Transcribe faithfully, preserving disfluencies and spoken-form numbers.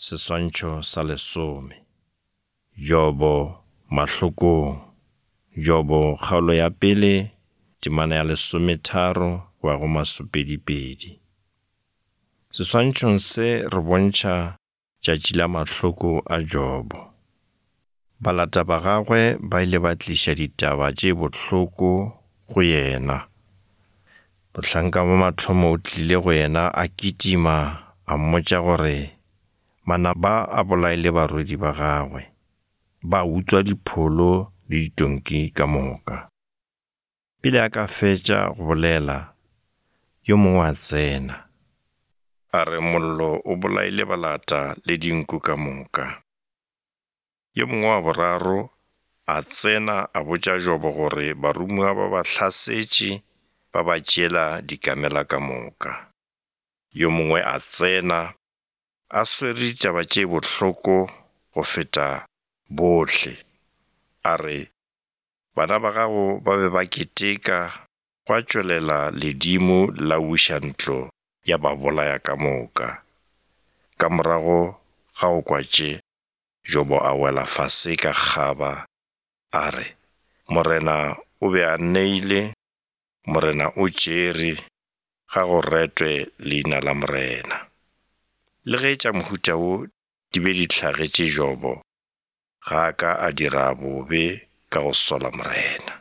Seswantšho sa lesome. Jobo mahlokong. Jobo kgaolo ya pele, temana ya lesometharo go ya go masopedipedi. Seswantšhong se re bontšha tšatši la mahloko a Jobo. Balata ba gagwe ba ile ba tliša ditaba tše bohloko go yena. Mohlanka wa mathomo o tlile go yena a kitima a mmotša gore manaba a bolaile barwedi ba gagwe, ba utswa dipholo le ditonki ka moka. Pele a ka fetša go bolela, yo mongwe a tsena. A re mollo o bolaile balata le dinku ka moka. Yo mongwe wa boraro a tsena a botša Jobo gore baromiwa ba ba hlasetše ba ba tšeela dikamela ka moka. Yo mongwe a tsena a swere ditaba tše bohloko go feta bohle. A re, bana ba gago ba be ba keteka, gwa tšwelela ledimo la wiša ntlo ya ba bolaya ka moka. Ka morago ga go kwa tše, Jobo a wela fase ka kgaba, a re, Morena o be a neile, Morena o tšere, ga go retwe leina la Morena. Le ge tša mohuta wo di be di hlagetše Jobo, ga a ka a dira bobe ka go sola Morena.